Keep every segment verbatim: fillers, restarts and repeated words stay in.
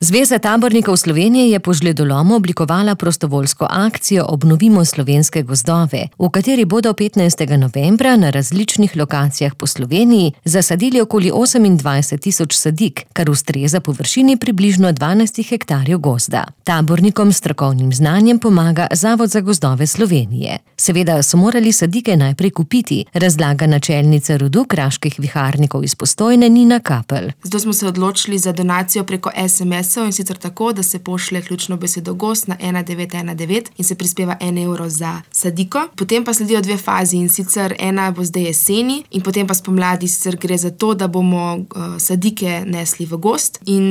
Zveza tabornikov Slovenije je po žledolomu oblikovala prostovoljsko akcijo Obnovimo slovenske gozdove, v kateri bodo petnajstega novembra na različnih lokacijah po Sloveniji zasadili okoli osemindvajset tisoč sadik, kar ustreza površini približno dvanajst hektarjev gozda. Tabornikom s strokovnim znanjem pomaga Zavod za gozdove Slovenije. Seveda so morali sadike najprej kupiti, razlaga načelnica rodu kraških viharnikov iz Postojne Nina Kapelj. Zato smo se odločili za donacijo preko es em es-ov, in sicer tako, da se pošlje ključno besedo gozd na ena devet ena devet in se prispeva en evro za sadiko. Potem pa sledijo dve fazi, in sicer ena bo zdaj jeseni in potem pa spomladi, sicer gre za to, da bomo uh, sadike nesli v gozd in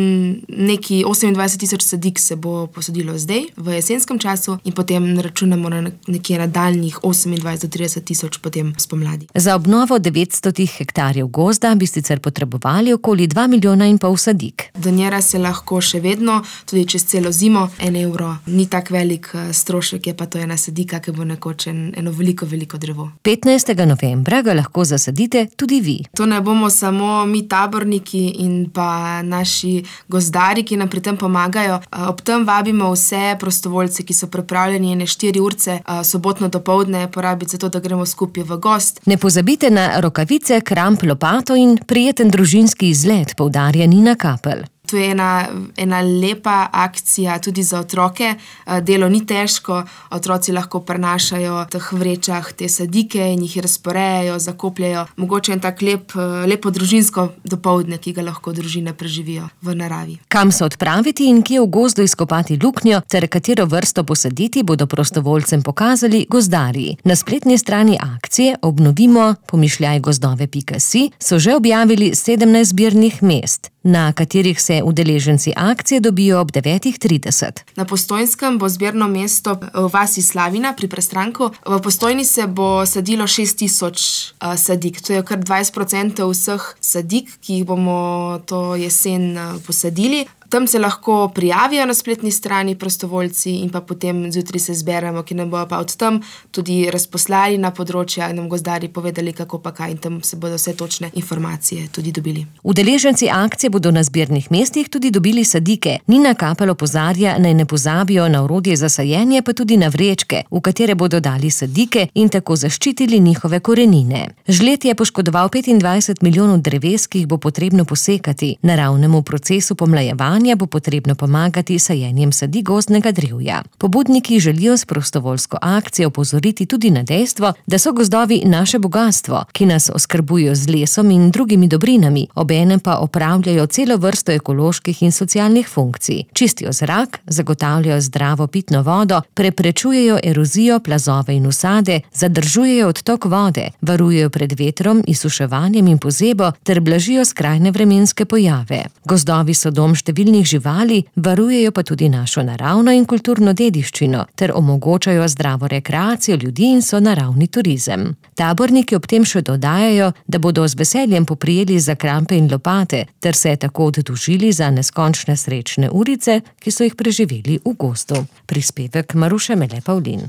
neki osemindvajset tisoč sadik se bo posadilo zdaj v jesenskem času in potem računamo na nekje nadaljnjih osemindvajset do trideset tisoč potem spomladi. Za obnovo devetsto hektarjev gozda bi sicer potrebovali okoli dva milijona in pol sadik. Donira se lahko še vedno, tudi čez celo zimo. En evro ni tak velik strošek, je pa to ena sadika, ki bo nekoč eno veliko, veliko drevo. petnajstega novembra ga lahko zasadite tudi vi. To ne bomo samo mi taborniki in pa naši gozdari, ki nam pri tem pomagajo. Ob tem vabimo vse prostovoljce, ki so pripravljeni ene štiri urce sobotno dopoldne porabiti za to, da gremo skupaj v gozd. Ne pozabite na rokavice, kramp, lopato in prijeten družinski izlet, poudarja Nina Kapelj. To je ena, ena lepa akcija tudi za otroke. Delo ni težko, otroci lahko prenašajo v teh vrečah te sadike in jih razporejajo, zakopljajo. Mogoče en tak lep, lepo družinsko dopoldne, ki ga lahko družine preživijo v naravi. Kam se odpraviti in kje v gozdu izkopati luknjo ter katero vrsto posaditi, bodo prostovoljcem pokazali gozdarji. Na spletni strani akcije Obnovimo pomišljaj gozdove pika si so že objavili sedemnajst zbirnih mest, na katerih se udeleženci akcije dobijo ob devetih trideset. Na Postojnskem bo zbirno mesto v vasi Slavina pri Prestranku. V Postojni se bo sadilo šest tisoč uh, sadik. To je kar dvajset procentov vseh sadik, ki jih bomo to jesen uh, posadili. Tam se lahko prijavijo na spletni strani prostovoljci in pa potem zjutraj se zberemo, ki nam bojo pa od tam tudi razposlali na področja in nam gozdarji povedali, kako pa kaj, in tam se bodo vse točne informacije tudi dobili. Udeleženci akcije bodo na zbirnih mestih tudi dobili sadike. Nina Kapelj opozarja, naj ne pozabijo na orodje za sajenje, pa tudi na vrečke, v katere bodo dali sadike in tako zaščitili njihove korenine. Žled je poškodoval petindvajset milijonov dreves, ki jih bo potrebno posekati. Naravnemu procesu pomlajevanja bo potrebno pomagati sajenjem sadik gozdnega drevja. Pobudniki želijo s prostovoljsko akcijo opozoriti tudi na dejstvo, da so gozdovi naše bogastvo, ki nas oskrbujo z lesom in drugimi dobrinami, obenem pa opravljajo celo vrsto ekoloških in socialnih funkcij. Čistijo zrak, zagotavljajo zdravo pitno vodo, preprečujejo erozijo, plazove in usade, zadržujejo odtok vode, varujejo pred vetrom, izsuševanjem in pozebo ter blažijo skrajne vremenske pojave. Gozdovi so dom številnih živali, varujejo pa tudi našo naravno in kulturno dediščino ter omogočajo zdravo rekreacijo ljudi in so naravni turizem. Taborniki ob tem še dodajajo, da bodo z veseljem poprijeli za krampe in lopate ter se tako oddolžili za neskončne srečne urice, ki so jih preživeli v gozdu. Prispevek Maruše Mele Pavlin.